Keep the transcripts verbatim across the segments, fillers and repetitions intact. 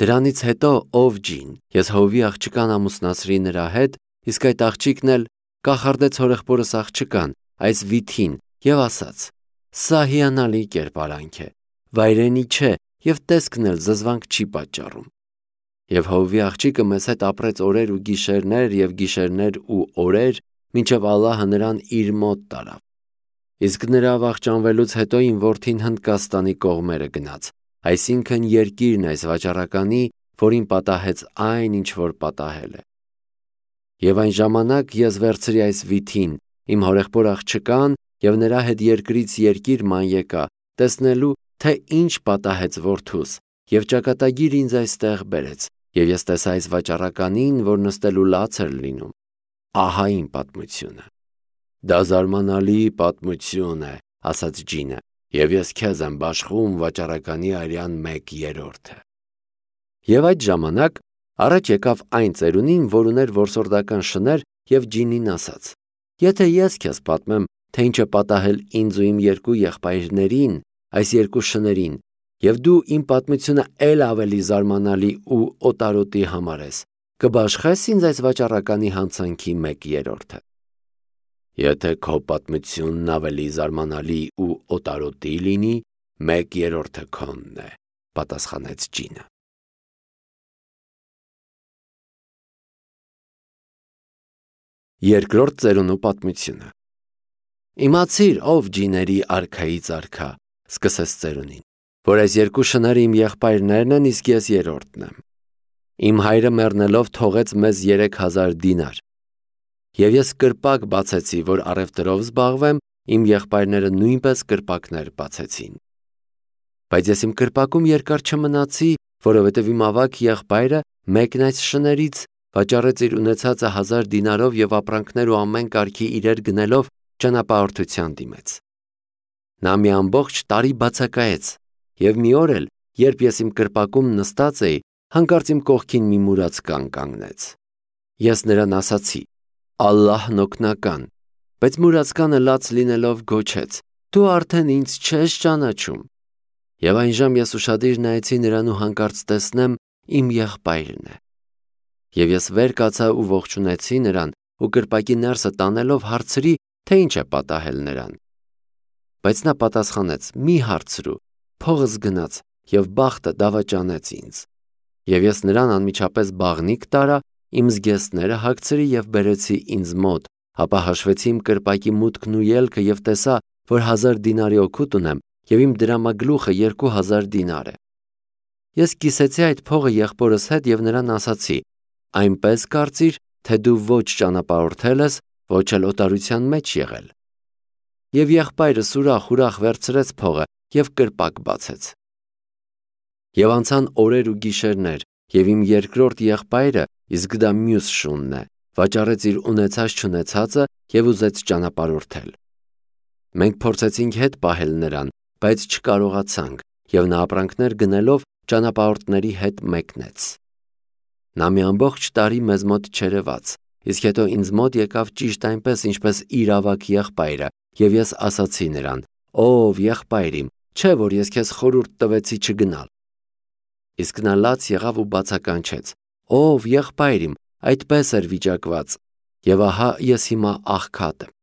Դրանից հետո ով ջին, ես հովվի աղջկան ամուսնացրի նրա հետ, իսկ այդ աղջիկն էլ կախարդեց հորեղբորս աղջկան, այս վիթին, եւ ասաց. «Սա հիանալի կերպարանք է, վայրենի չէ, եւ տեսքն էլ զզվանք չի պատճառում»։ Եվ հովվի աղջիկը մեզ հետ ապրեց օրեր ու գիշերներ եւ գիշերներ ու օրեր, մինչեւ Ալլահը նրան իր մոտ տարավ։ Իսկ նրա վախճանվելուց հետո իմ որդին Հնդկաստանի կողմերը գնաց, այսինքն երկիրն այս վաճառականի, որին պատահեց այն, ինչ որ պատահել է։ Եվ այն ժամանակ ես վերցրի այս վիթին, իմ հորեղբոր աղջկան, եւ նրա հետ երկրից երկիր ման եկա, տեսնելու, թե ինչ պատահեց որդուս, եւ ճակատագիր ինձ այստեղ բերեց, եւ ես տեսա այս վաճառականին, որ նստելու լաց էր լինում։ Ահա իմ պատմությունը։ Դա զարմանալի պատմություն է, ասաց ջինը, եւ ես քեզ եմ բաշխում վաճառականի արյան մեկ երրորդը։ Եվ այդ ժամանակ առաջ եկավ այն ծերունին, որ ուներ որսորդական շներ, եւ ջինին ասաց. Եթե ես քեզ պատմեմ, թե ինչ է պատահել ինձ ու իմ երկու եղբայրներին, այս երկու շներին, եւ դու իմ պատմությունը ել ավելի զարմանալի ու օտարոտի համարես, կբաշխես ինձ այս վաճառականի հանցանքի մեկ երրորդը։ Եթե քո պատմությունն ավելի զարմանալի ու օտարոտի լինի, մեկ երրորդը քոնն է, պատասխանեց ջինը։ Երկրորդ ծերունու պատմությունը։ Իմացիր, ով ջիների արքայից արքա, սկսեց ծերունին, որ այս երկու շները իմ եղբայրներն են, իսկ ես երրորդն եմ։ Իմ հայրը մեռնելով թողեց մեզ երեք հազար դինար։ Եվ ես կրպակ բացեցի, որ առևտրով զբաղվեմ, իմ եղբայրները նույնպես կրպակներ բացեցին։ Բայց ես իմ կրպակում երկար չմնացի, որովհետև իմ ավագ եղբայրը մեկն այս շներից վաճառեց իր ունեցածը հազար դինարով եւ ապրանքներ ու ամեն կարգի իրեր գնելով ճանապարհորդության դիմեց։ Նա մի ամբողջ տարի բացակայեց, եւ մի օր էլ, երբ ես իմ կրպակում նստած էի, հանկարծ իմ կողքին մի մուրաց կան կանգնեց։ Ես նրան ասացի. Ալլահն օգնական, բայց մուրացկանը լաց լինելով գոչեց. Դու արդեն ինձ չես ճանաչում։ Եվ այն ժամ ես ուշադիր նայեցի նրան ու հանկարծ տեսնեմ իմ եղբայրն է։ Եվ ես վեր կացա ու ողջունեցի նրան ու կրպակի ներսը տանելով հարցրի, թե ինչ է պատահել նրան։ Բայց նա պատասխանեց. մի հարցրու, փողս գնաց եւ բախտը դավաճանեց ինձ։ Եվ ես նրան անմիջապես բաղնիք տարա, իմ զգեստները հագցրի եւ բերեցի ինձ մոտ, ապա հաշվեցի իմ կրպակի մուտքն ու ելքը եւ տեսա, որ հազար դինարի օգուտ ունեմ եւ իմ դրամագլուխը երկու հազար դինար է։ Ես կիսեցի այդ փողը եղբորս հետ եւ նրան ասացի. այնպես կարծիր, թե դու ոչ ճանապարհորդել ես, ոչ էլ օտարության մեջ եղել։ Եվ եղբայրս ուրախ-ուրախ վերցրեց փողը եւ կրպակ բացեց։ Եվ անցան օրեր ու գիշերներ, եւ իմ երկրորդ եղբայրը, իսկ դա մյուս շունն է, վաճառեց իր ունեցած-չունեցածը եւ ուզեց ճանապարհորդել։ Մենք փորձեցինք հետ պահել նրան, բայց չկարողացանք, եւ նա ապրանքներ գնելով ճանապարհորդների հետ մեկնեց։ Նա մի ամբողջ տարի մեզ մոտ չերևաց, իսկ հետո ինձ մոտ եկավ ճիշտ այնպես, ինչպես իր ավագ եղբայրը, եւ ես ասացի նրան. Ով եղբայր իմ, չէ՞ որ ես քեզ խորհուրդ տվեցի չգնալ։ Իսկ նա լաց եղավ ու բացականչեց. Ով եղբայր իմ, այդպես էր վիճակված, եւ ահա ես հիմա աղքատ եմ։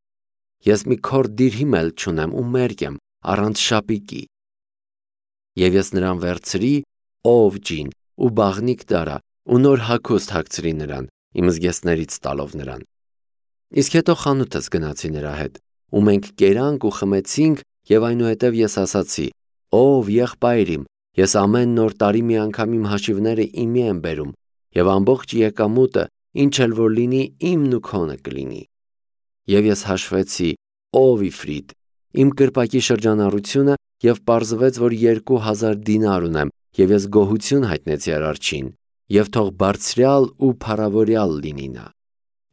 Ես մի քորդ դիրհիմ էլ չունեմ ու մերկ եմ, առանց շապիկի։ Եվ ես նրան վերցրի, ով ջին, ու բաղնիք դարա, ու նոր հագուստ հագցրի նրան, իմ զգեստներից տալով նրան։ Իսկ հետո խանութս գնացի նրա հետ, ու մենք կերանք ու խմեցինք, եւ այնուհետև ես ասացի. Ով եղբայր իմ, ես ամեն նոր տարի մի անգամ իմ հաշիվները իմի եմ բերում, եւ ամբողջ եկամուտը, ինչ էլ որ լինի, իմն ու քոնը կլինի։ Եվ ես հաշվեցի, ով Իֆրիտ, իմ կրպակի շրջանառությունը, եւ պարզվեց, որ երկու հազար դինար ունեմ, եւ ես գոհություն հայտնեցի Արարչին, եւ թող բարձրյալ ու փառավորյալ լինի նա։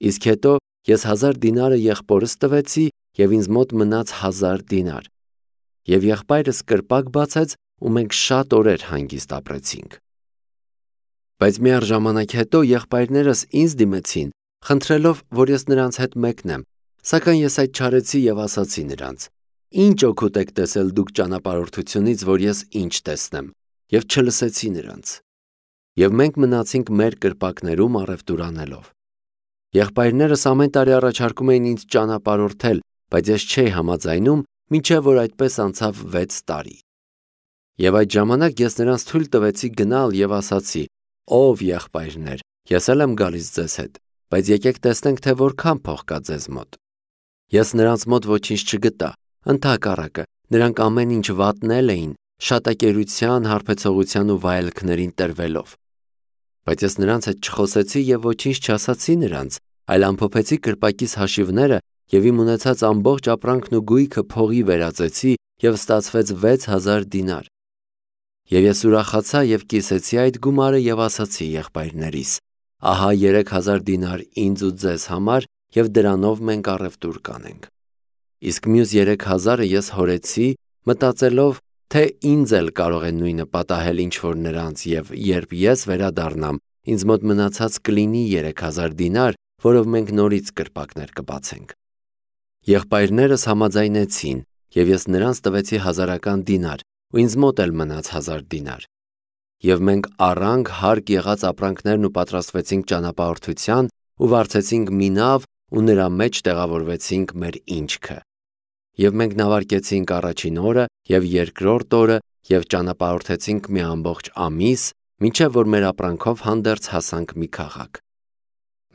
Իսկ հետո ես հազար դինարը եղբորս տվեցի, եւ ինձ մոտ մնաց հազար դինար։ Եվ եղբայրս կրպակ բացեց, ու մենք շատ օրեր հանգիստ ապրեցինք։ Բայց մի առ ժամանակ հետո եղբայրներս ինձ դիմեցին, խնդրելով, որ ես նրանց հետ մեկնեմ, սակայն ես այդ չարեցի եւ ասացի նրանց. Ինչ օգուտ եք տեսել դուք ճանապարհորդությունից, որ ես ինչ տեսնեմ, եւ չլսեցի նրանց։ Եվ մենք մնացինք մեր կրպակներում առևտուր անելով։ Եղբայրներս ամեն տարի առաջարկում էին ինձ ճանապարհորդել, բայց ես չէի համաձայնում, մինչև որ այդպես անցավ վեց տարի։ Եվ այդ ժամանակ ես նրանց թույլ տվեցի գնալ եւ ասացի. «Ով եղբայրներ, ես էլ եմ գալիս ձեզ հետ, բայց եկեք տեսնենք, թե որքան փող կա ձեզ մոտ»։ Ես նրանց մոտ ոչինչ չգտա, ընդհակառակը, նրանք ամեն ինչ վատնել էին, շատակերության, հարբեցողության ու վայելքներին տրվելով։ Բայց ես նրանց հետ չխոսեցի եւ ոչինչ չասացի նրանց, այլ ամփոփեցի կրպակիս հաշիվները եւ իմ ունեցած ամբողջ ապրանքն ու գույքը փողի վերածեցի եւ ստացվեց վեց հազար դինար։ Եվ ես ուրախացա եւ կիսեցի այդ գումարը եւ ասացի եղբայրներիս. «Ահա երեք հազար դինար ինձ ու ձեզ համար եւ դրանով մենք առևտուր կանենք»։ Իսկ մյուս երեք հազարը ես հորեցի, մտածելով, թե ինձ էլ կարող է նույնը պատահել ինչ որ նրանց, եւ երբ ես վերադառնամ, ինձ մոտ մնացած կլինի երեք հազար դինար, որով մենք նորից կրպակներ կբացենք։ Եղբայրներս համաձայնեցին, եւ ես նրանց տվեցի հազարական դինար, ու ինձ մոտ էլ մնաց հազար դինար։ Եվ մենք առանք հարկ եղած ապրանքներն ու պատրաստվեցինք ճանապարհորդության ու վարձեցինք մի նավ ու նրա մեջ տեղավորվեցինք մեր ինչքը։ Եվ մենք նավարկեցինք առաջին օրը եւ երկրորդ օրը եւ ճանապարհորդեցինք մի ամբողջ ամիս, մինչեւ որ մեր ապրանքով հանդերձ հասանք մի քաղաք։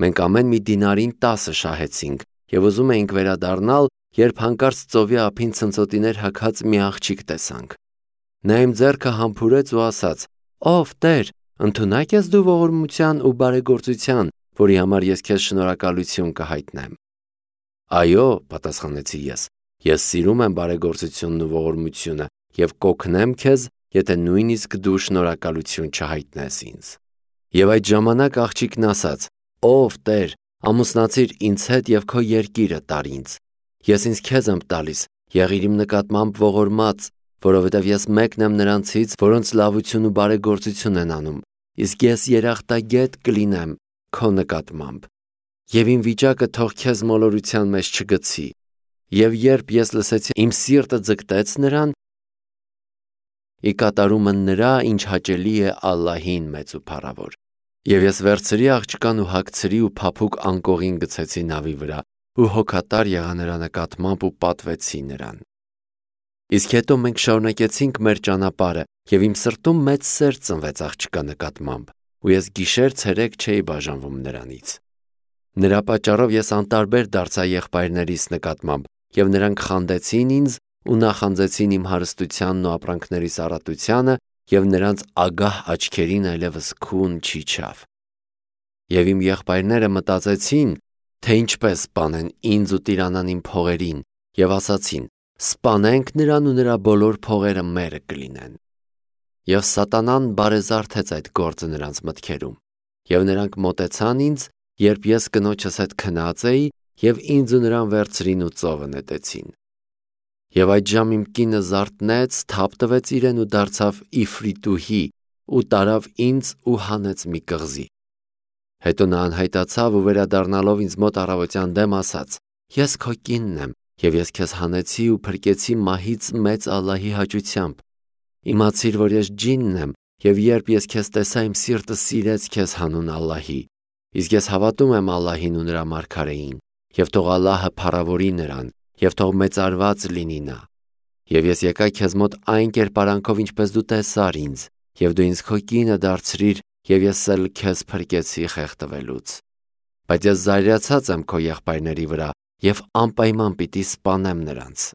Մենք ամեն մի դինարին տասը շահեցինք եւ ուզում էինք վերադառնալ, երբ հանկարծ ծովի ափին ցնցոտիներ հագած մի աղջիկ տեսանք։ Նա իմ ձեռքը համբուրեց ու ասաց. «Ով Տեր, ընդունակ ես դու ողորմության ու բարեգործության, որի համար ես քեզ շնորհակալություն կհայտնեմ»։ «Այո», պատասխանեցի ես, «ես սիրում եմ բարեգործությունն ու ողորմությունը եւ կօգնեմ քեզ, եթե նույնիսկ դու շնորհակալություն չհայտնես ինձ»։ Եվ այդ ժամանակ աղջիկն ասաց. «Ով Տեր, ամուսնացիր ինձ հետ եւ քո երկիրը տար ինձ։ Ես ինձ քեզ եմ տալիս, եղիր իմ նկատմամբ ողորմած, որովհետև ես մեկն եմ նրանցից, որոնց լավություն ու բարեգործություն են անում, իսկ ես երախտագետ կլինեմ քո նկատմամբ։ Եվ իմ վիճակը թող քեզ մոլորության մեջ չգցի»։ Եվ երբ ես լսեցի, իմ սիրտը ձգտեց նրան, ի կատարումը նրա, ինչ հաճելի է Ալլահին մեծ ու փառավոր։ Եվ ես վերցրի աղջկան ու հագցրի ու փափուկ անկողին գցեցի նավի վրա ու հոգատար եղա նրա նկատմամբ ու պատվեցի նրան։ Իսկ հետո մենք շարունակեցինք մեր ճանապարհը եւ իմ սրտում մեծ սեր ծնվեց աղջկա նկատմամբ ու ես գիշեր ցերեկ չէի բաժանվում նրանից։ Նրա պատճառով ես անտարբեր դարձա եղբայրներիս նկատմամբ եւ նրանք խանդեցին ինձ ու նախանձեցին իմ հարստությանն ու ապրանքներիս առատությանը եւ նրանց ագահ աչքերին այլևս քուն չիջավ։ Եվ իմ եղբայրները մտածեցին, թե ինչպես սպանեն ինձ ու տիրանան իմ փողերին եւ ասացին. «Սպանենք նրան ու նրա բոլոր փողերը մերը կլինեն»։ Եվ սատանան բարեզարթեց այդ գործը նրանց մտքերում։ Եվ նրանք մոտեցան ինձ, երբ ես կնոջս հետ քնած էի, եւ ինձ ու նրան վերցրին ու ծովը նետեցին։ Եվ այդ ժամ իմ կինը զարթնեց, թափ տվեց իրեն ու դարձավ իֆրիտուհի ու տարավ ինձ ու հանեց մի կղզի։ Հետո նա անհայտացավ ու վերադառնալով ինձ մոտ առավոտյան դեմ ասաց. «Ես քո կինն եմ, եւ ես քեզ հանեցի ու փրկեցի մահից մեծ Ալլահի հաճությամբ։ Իմացիր, որ ես ջինն եմ, եւ երբ ես քեզ տեսա, իմ սիրտը սիրեց քեզ հանուն Ալլահի։ Իսկ ես հավատում եմ Ալլահին ու նրա մարգարեին, եւ թող Ալլահը փառավորի նրան, եւ թող մեծարված լինի նա։ Եվ ես եկա քեզ մոտ այն կերպարանքով, ինչպես դու տեսար ինձ, եւ դու ինձ քո կինը դարձրիր, եւ ես էլ քեզ փրկեցի խեղդվելուց։ Բայց ես զայրացած եմ քո եղբայրների վրա եւ անպայման պիտի սպանեմ նրանց»։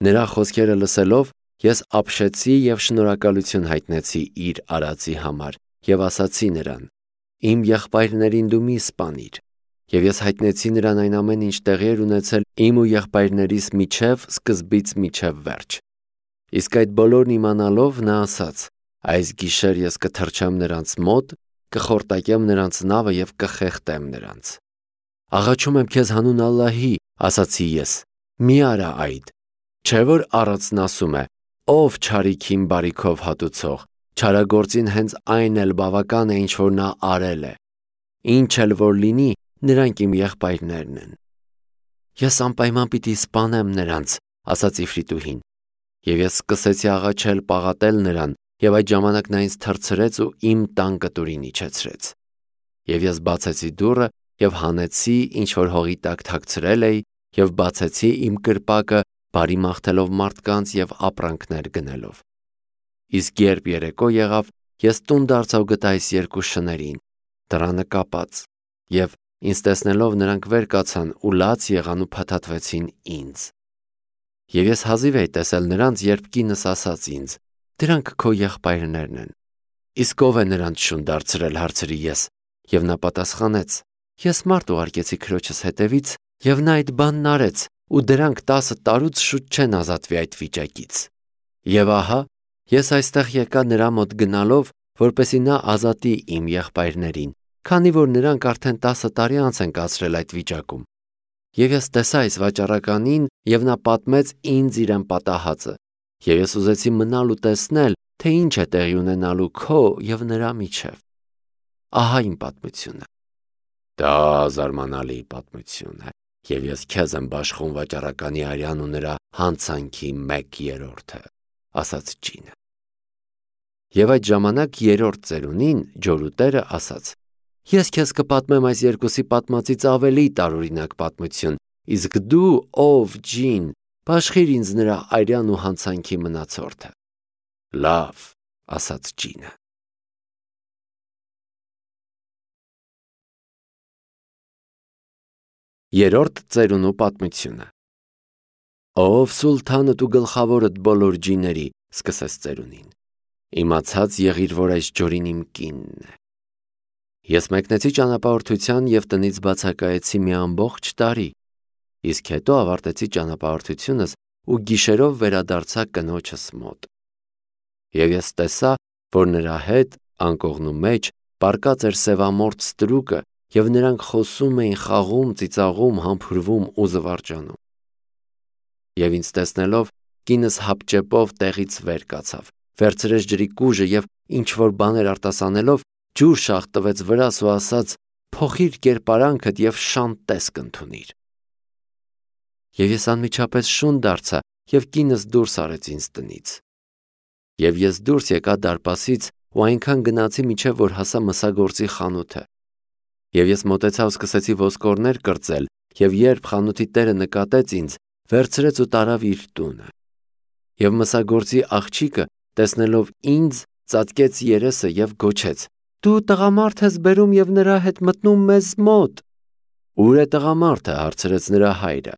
Նրա խոսքերը լսելով, ես ապշեցի եւ շնորհակալություն հայտնեցի իր արածի համար եւ ասացի նրան. «Իմ եղբայրներին դու մի սպանիր»։ Եվ ես հայտնեցի նրան այն ամեն ինչ տեղի էր ունեցել իմ ու եղբայրներիս միջև սկզբից մինչև վերջ։ Իսկ այդ բոլորն իմանալով նա ասաց. «Այս գիշեր ես կթռչեմ նրանց մոտ, կխորտակեմ նրանց նավը եւ կխեղդեմ նրանց»։ «Աղաչում եմ քեզ հանուն Ալլահի», ասացի ես, «մի արա այդ։ Չէ՞ որ առածն ասում է. ով չարիքին բարիքով հատուցող, չարագործին հենց այն էլ բավական է, ինչ որ նա արել է։ Ինչ էլ որ լինի, նրանք իմ եղբայրներն են»։ «Ես անպայման պիտի սպանեմ նրանց», ասաց Իֆրիտուհին։ Եվ ես սկսեցի աղաչել պաղատել նրան, եւ այդ ժամանակ նա ինձ թռցրեց ու իմ տան կտուրին իջեցրեց։ Եվ ես բացեցի դուռը եւ հանեցի, ինչ որ հողի տակ թաքցրել էի, եւ բացեցի իմ կրպակը, բարի մաղթելով մարդկանց եւ ապրանքներ գնելով։ Իսկ երբ երեկո եղավ, ես տուն դարձա ու գտա այս երկու շներին, դռանը կապած, եւ ինձ տեսնելով նրանք վեր կացան ու լաց եղան ու փաթաթվեցին ինձ։ Եվ ես հազիվ էի տեսել նրանց, երբ կինս ասաց ինձ. «Դրանք քո եղբայրներն են»։ Իսկ ով է նրանց շուն դարձրել, հարցրի ես, եւ նա պատասխանեց. «Ես մարդ ուղարկեցի քրոջս հետևից, եւ նա այդ բանն արեց, ու դրանք տասը տարուց շուտ չեն ազատվի այդ վիճակից»։ Եվ ահա, ես այստեղ եկա նրա մոտ գնալով, որպեսզի նա ազատի իմ եղբայրներին, քանի որ նրանք արդեն տասը տարի անց են կացրել այդ վիճակում։ Եվ ես տեսա այս վաճառականին, եւ նա պատմեց ինձ իրեն պատահածը, եւ ես ուզեցի մնալ ու տեսնել, թե ինչ է տեղի ունենալու քո եւ նրա միջև։ Ահա իմ պատմությունը։ Դա զարմանալի պատմություն է, եւ ես քեզ եմ բաշխում վաճառականի արյան ու նրա հանցանքի մեկ երրորդը, ասաց ջինը։ Եվ այդ ժամանակ երրորդ ծերունին ջորուտերը ասաց. Ես քեզ կպատմեմ այս երկուսի պատմածից ավելի տարօրինակ պատմություն, իսկ դու, ով ջին, բաշխիր ինձ նրա արյան ու հանցանքի մնացորդը։ Լավ, ասաց ջինը։ Երրորդ ծերունու պատմությունը։ Ով սուլթանդ ու գլխավորդ բոլոր ջիների, սկսեց ծերունին, իմացած եղիր, որ այս ջորին իմ կինն է։ Ես մեկնեցի ճանապարհորդության եւ տնից բացակայեցի մի ամբողջ տարի, իսկ հետո ավարտեցի ճանապարհորդությունս ու գիշերով վերադարձա կնոջս մոտ։ Եվ ես տեսա, որ նրա հետ անկողնու մեջ պառկած էր սևամորթ ստրուկը, եւ նրանք խոսում էին, խաղում, ծիծաղում, համբուրվում ու զվարճանում։ Եվ ինձ տեսնելով, կինս հապճեպով տեղից վեր կացավ, վերցրեց ջրի կուժը եւ ինչ որ բաներ արտասանելով, ջուր շաղ տվեց վրաս ու ասաց. «Փոխիր կերպարանքդ եւ շան տեսք ընդունիր»։ Եվ ես անմիջապես շուն դարձա եւ կինս դուրս արեց ինձ տնից։ Եվ ես դուրս եկա դարպասից ու այնքան գնացի, մինչև որ հասա մսագործի խանութը։ Եվ ես մոտեցա ու սկսեցի ոսկորներ կրծել, եւ երբ խանութի տերը նկատեց ինձ, վերցրեց ու տարավ իր տունը։ Եվ մսագործի աղջիկը, տեսնելով ինձ, ծածկեց երեսը եւ գոչեց. «Դու տղամարդ ես բերում եւ նրա հետ մտնում մեզ մոտ»։ «Ուր է տղամարդը»։ հարցրեց նրա հայրը։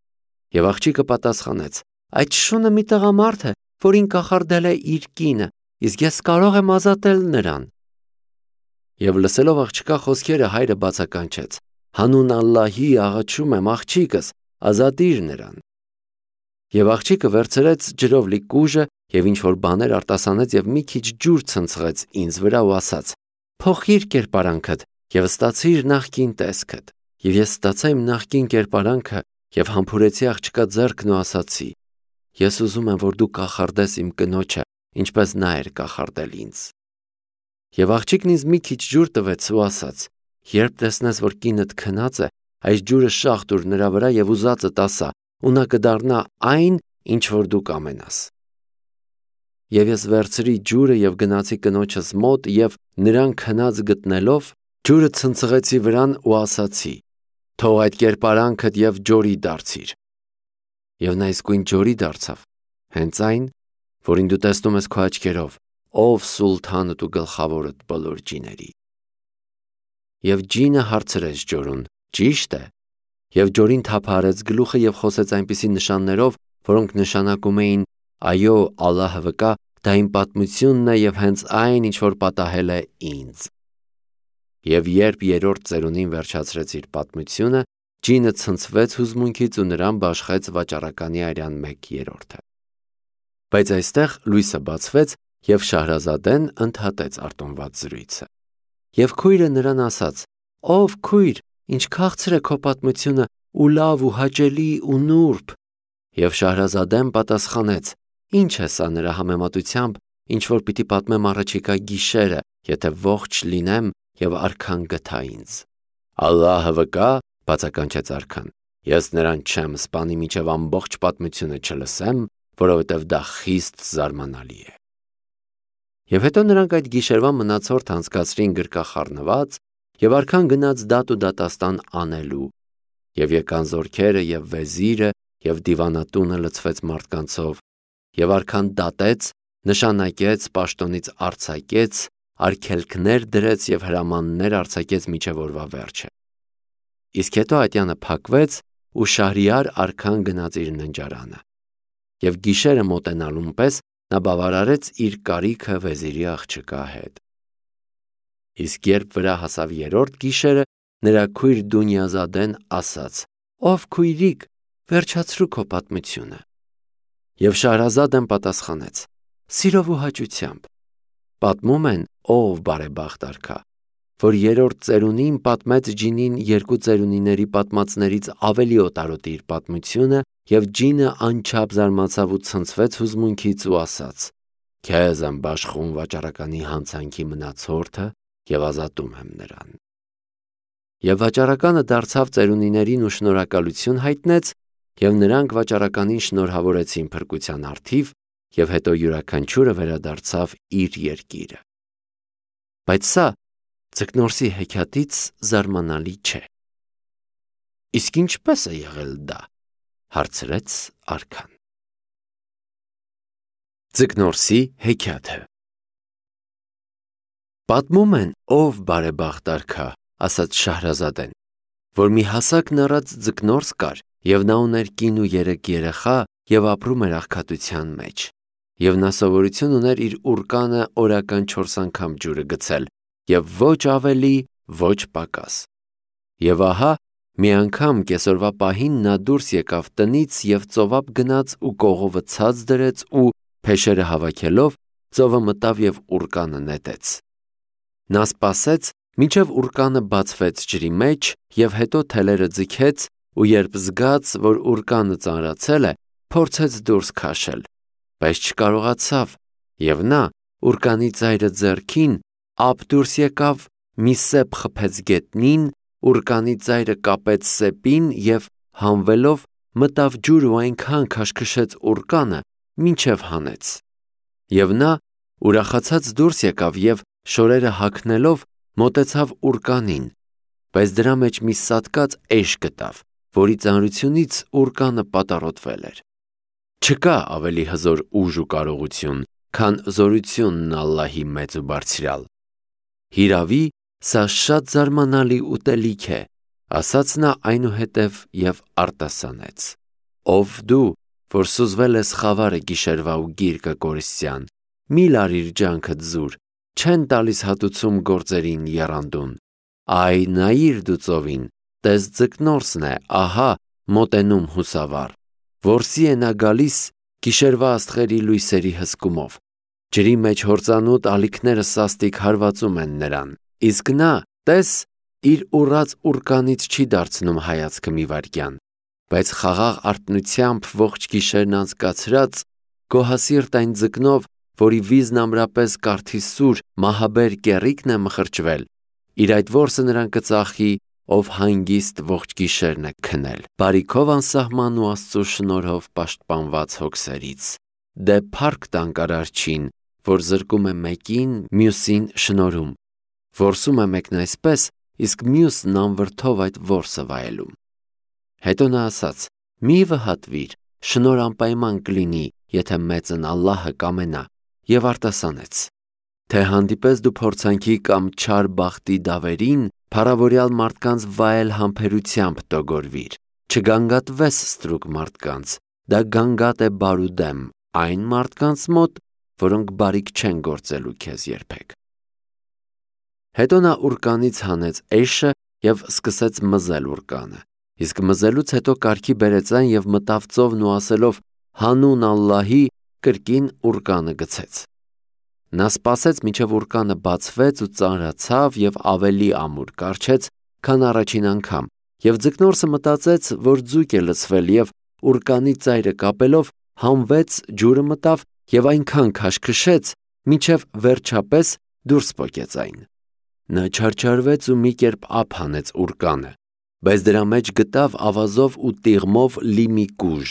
Եվ աղջիկը պատասխանեց. «Այդ շունը մի տղամարդ է, որին կախարդել է իր կինը, իսկ ես կարող եմ ազատել նրան»։ Եվ լսելով աղջկա խոսքերը, հայրը բացականչեց. «Հանուն Ալլահի աղաչում եմ, աղջիկս, ազատիր նրան»։ Եվ աղջիկը վերցրեց ջրով լի կուժը եւ ինչ որ բաներ արտասանեց եւ մի քիչ ջուր ցնցղեց ինձ վրա ու ասաց. «Փոխիր կերպարանքդ եւ ստացիր նախկին տեսքդ»։ Եվ ես ստացա իմ նախկին կերպարանքը եւ համբուրեցի աղջկա ձեռքն ու ասացի. «Ես ուզում եմ, որ դու կախարդես իմ կնոջը, ինչպես նա էր կախարդել ինձ»։ Եվ աղջիկն ինձ մի քիչ ջուր տվեց ու ասաց. «Երբ տեսնես, որ կինդ քնած է, այս ջուրը շաղ տուր նրա վրա եւ ուզածդ ասա, ու նա կդառնա այն, ինչ որ դու կամենաս»։ Եվ ես վերցրի ջուրը եւ գնացի կնոջս մոտ եւ նրան քնած գտնելով, ջուրը ցնցղեցի վրան ու ասացի. «Թող այդ կերպարանքդ եւ ջորի դարձիր»։ Եվ նա իսկույն ջորի դարձավ, հենց այն, որին դու տեսնում ես քո աչքերով, ով սուլթանդ ու գլխավորդ բոլոր ջիների։ Եվ ջինը հարցրեց ջորուն. «Ճիշտ է»։ Եվ ջորին թափահարեց գլուխը եւ խոսեց այնպիսի նշաններով, որոնք նշանակում էին. «Այո, Ալլահը վկա, դա իմ պատմությունն է եւ հենց այն, ինչ որ պատահել է ինձ»։ Եվ երբ երրորդ ծերունին վերջացրեց իր պատմությունը, ջինը ցնցվեց հուզմունքից ու նրան բաշխեց վաճառականի արյան մեկ երրորդը։ Բայց այստեղ լույսը բացվեց եւ Շահրազադեն ընդհատեց արտոնված զրույցը։ Եվ քույրը նրան ասաց. «Ով քույր, ինչ քաղցր է քո պատմությունը ու լավ ու հաճելի ու նուրբ»։ Եվ Շահրազադեն պատասխանեց. «Ինչ է սա նրա համեմատությամբ, ինչ որ պիտի պատմեմ առաջիկա գիշերը, եթե ողջ լինեմ եւ արքան գթա ինձ»։ «Ալլահը վկա», բացականչեց արքան, «ես նրան չեմ սպանի, մինչև ամբողջ պատմությունը չլսեմ, որովհետև դա խիստ զարմանալի է»։ Եվ հետո նրանք այդ գիշերվա մնացորդ անցկացրին գրկախառնված և արքան գնաց դատ ու դատաստան անելու, և եկան զորքերը և վեզիրը, և դիվանատունը լցվեց մարդկանցով, և արքան դատեց, նշանակեց, պաշտոնից արձակեց, արգելքներ դրեց և հրամաններ արձակեց մինչև օրվա վերջը։ Իսկ հետո ատյանը փակվեց ու Շահրիար արքան գնաց իր ննջարանը։ Եվ գիշերը մոտենալուն պես նա բավարարեց իր կարիքը վեզիրի աղջկա հետ։ Իսկ երբ վրա հասավ երրորդ գիշերը, նրա քույր Դունյազադեն ասաց. «Ով քույրիկ, վերջացրու քո պատմությունը»։ Եվ Շահրազադեն պատասխանեց. «Սիրով ու հաճությամբ»։ Պատմում են, ով բարեբախտ արքա, որ երրորդ ծերունին պատմեց ջինին երկու ծերունիների պատմածներից ավելի օտարոտի իր պատմությունը, և ջինը անչափ զարմացավ ու ցնցվեց հուզմունքից ու ասաց. «Քեզ եմ բաշխում վաճառականի հանցանքի մնացորդը և ազատում եմ նրան»։ Եվ վաճառականը դարձավ ծերունիներին ու շնորհակալություն հայտնեց, և նրանք վաճառականին շնորհավորեցին փրկության առթիվ, և հետո յուրաքանչյուրը վերադարձավ իր երկիրը։ Բայց սա Ձկնորսի հեքիաթից զարմանալի չէ։ Իսկ ինչպե՞ս է եղել դա, հարցրեց արքան։ Ձկնորսի հեքիաթը։ Պատմում են, ով բարեբախտ արքա, ասաց Շահրազադեն, որ մի հասակն առած ձկնորս կար, և նա ուներ կին ու երեք երեխա և ապրում էր աղքատության մեջ, և նա սովորություն ուներ իր ուռկանը օրական չորս անգամ ջուրը գցել, և ոչ ավելի, ոչ պակաս։ Եվ ահա մի անգամ կեսօրվա պահին նա դուրս եկավ տնից և ծովափ գնաց ու կողովը ցած դրեց ու, փեշերը հավաքելով, ծովը մտավ և ուռկանը նետեց։ Նա սպասեց, մինչև ուռկանը բացվեց ջրի մեջ, և հետո թելերը ձգեց ու երբ զգաց, որ ուռկանը ծանրացել է, փորձեց դուրս քաշել, բայց չկարողացավ, և նա, ուռկանի ծայրը ձեռքին, ափ դուրս եկավ, մի սեպ խփեց գետնին, ուռկանի ծայրը կապեց սեպին և, հանվելով, մտավ ջուր ու այնքան քաշքշեց ուռկանը, մինչև հանեց։ Եվ նա ուրախացած դուրս եկավ և, շորերը հագնելով, մոտեցավ ուռկանին, բայց դրա մեջ մի սատկած էշ գտավ, որի ծանրությունից ուռկանը պատառոտվել էր։ Չկա ավելի հզոր ուժ ու կարողություն, քան զորությունն Ալլահի մեծ ու բարձրյալ։ Հիրավի, սա շատ զարմանալի ուտելիք է, ասաց նա այնուհետև և արտասանեց. Ով դու, որ սուզվել ես խավարը գիշերվա ու գիրկը կորստյան, մի լարիր ջանքդ զուր, չեն տալիս հատուցում գործերին եռանդուն։ Այ նայիր դու ծովին, տես ձկնորսն է, ահա, մոտենում հուսավառ, որսի է նա գալիս գիշերվա աստղերի լույսերի հսկումով, ջրի մեջ հորձանուտ ալիքները սաստիկ հարվածում են նրան, իսկ նա, տես, իր ուռած ուռկանից չի դարձնում հայացքը մի վայրկյան, բայց խաղաղ արթնությամբ ողջ գիշերն անցկացրած, գոհասիրտ այն ձկնով, որի վիզն ամրապես կարթի սուր, մահաբեր կեռիկն է մխրճվել, իր այդ որսը նրան կծախի, ով հանգիստ ողջ գիշերն է քնել, բարիքով անսահման ու Աստծու շնորհով պաշտպանված հոգսերից, դե փառք տանք Արարչին, որ զրկում է մեկին, մյուսին շնորհում, որսում է մեկն այսպես, իսկ մյուսն անվրդով այդ որսը վայելում։ Հետո նա ասաց. մի վհատվիր, շնորհ անպայման կլինի, եթե մեծն Ալլահը կամենա, և արտասանեց. թե հանդիպես դու փորձանքի կամ չար բախտի դավերին, փառավորյալ մարդկանց վայել համբերությամբ տոգորվիր, չգանգատվես ստրուկ մարդկանց, դա գանգատ է բարუდեմ այն մարդկանց մոտ, որոնք բարիք չեն գործելու քեզ երբեք։ Հետո նա ուռկանից հանեց էշը և սկսեց մզել ուռկանը, իսկ մզելուց հետո կարգի բերեց այն և մտավ ծովն ու ասելով. հանուն Ալլահի, կրկին ուռկանը գցեց։ Նա սպասեց, մինչև ուռկանը բացվեց ու ծանրացավ և ավելի ամուր կառչեց, քան առաջին անգամ, և ձկնորսը մտածեց, որ ձուկ է լցվել և, ուռկանի ծայրը կապելով, հանվեց, ջուրը մտավ և այնքան քաշքշեց, մինչև վերջապես դուրս պոկեց այն։ Նա չարչարվեց ու մի կերպ ափ հանեց ուռկանը, բայց դրա մեջ գտավ ավազով ու տիղմով լի մի կուժ,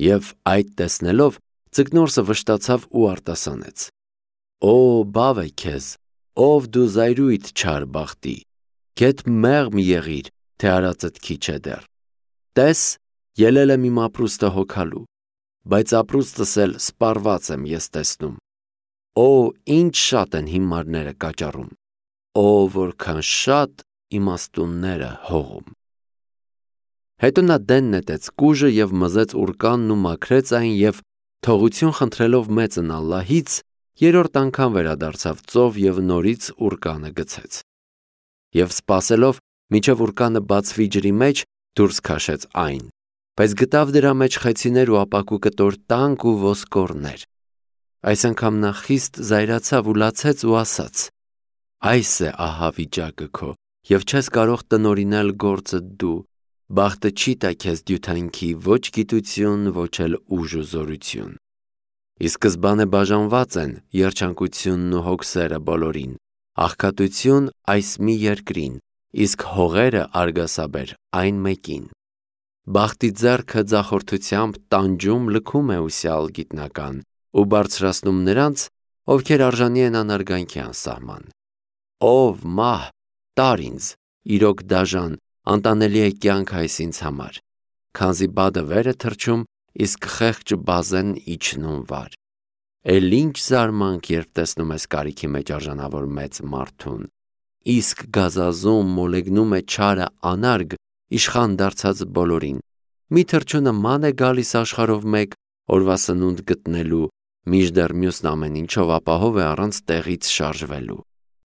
և այդ տեսնելով, ձկնորսը վշտացավ ու արտասանեց։ Օ բավ է քեզ, ով դու զայրույթ չար բախտի, գետ մեղմ եղիր, թե արածդ քիչ է դեռ։ Տես, ելել եմ իմ ապրուստը հոգալու, բայց ապրուստս էլ սպառված եմ ես տեսնում։ Օ ինչ շատ են հիմարները կաճառում, օ որքան շատ իմաստունները հողում։ Հետո նա դեն նետեց կուժը և մզեց ուրկանն ու մաքրեց այն և թողություն խնդրելով մեծն Ալլահից, երրորդ անգամ վերադարձավ ծով և նորից ուրկանը գցեց։ Եվ սպասելով, մինչև ուրկանը բացվի ջրի մեջ, դուրս քաշեց այն, բայց գտավ դրա մեջ խեցիներ ու ապակու կտոր տանկ ու ոսկորներ։ Այս անգամ նա խիստ զայրացավ ու լացեց ու ասաց. «Այս է ահա վիճակը քո, և չես կարող տնօրինել գործդ դու, բախտը չի տա քեզ դյութանքի ոչ գիտություն, ոչ էլ ուժ ու զորություն։ Ի սկզբանե բաժանված են երջանկությունն ու հոգսերը բոլորին, աղքատություն այս մի երկրին, իսկ հողերը արգասաբեր այն մեկին։ Բախտի ձեռքը ձախորդությամբ տանջում լքում է ուսյալ գիտնական ու բարձրացնում նրանց, ովքեր արժանի են անարգանքի անսահման։ Ով մահ, տար ինձ, իրոք դաժան, անտանելի է կյանք այս ինձ համար, քանզի բադը վեր է թռչում, իսկ խեղճ բազեն իջնում վար։ Էլ ինչ զարմանք, երբ տեսնում ես կարիքի մեջ արժանավոր մեծ մարդուն, իսկ գազազում մոլեգնում է չարը անարգ, իշխան դարձած բոլորին, մի թռչունը ման է գալիս աշխարհով մեկ, օրվա սնունդ գտնելու, մինչդեռ մյուսն ամեն ինչով ապահով է առանց տեղից շարժվելու։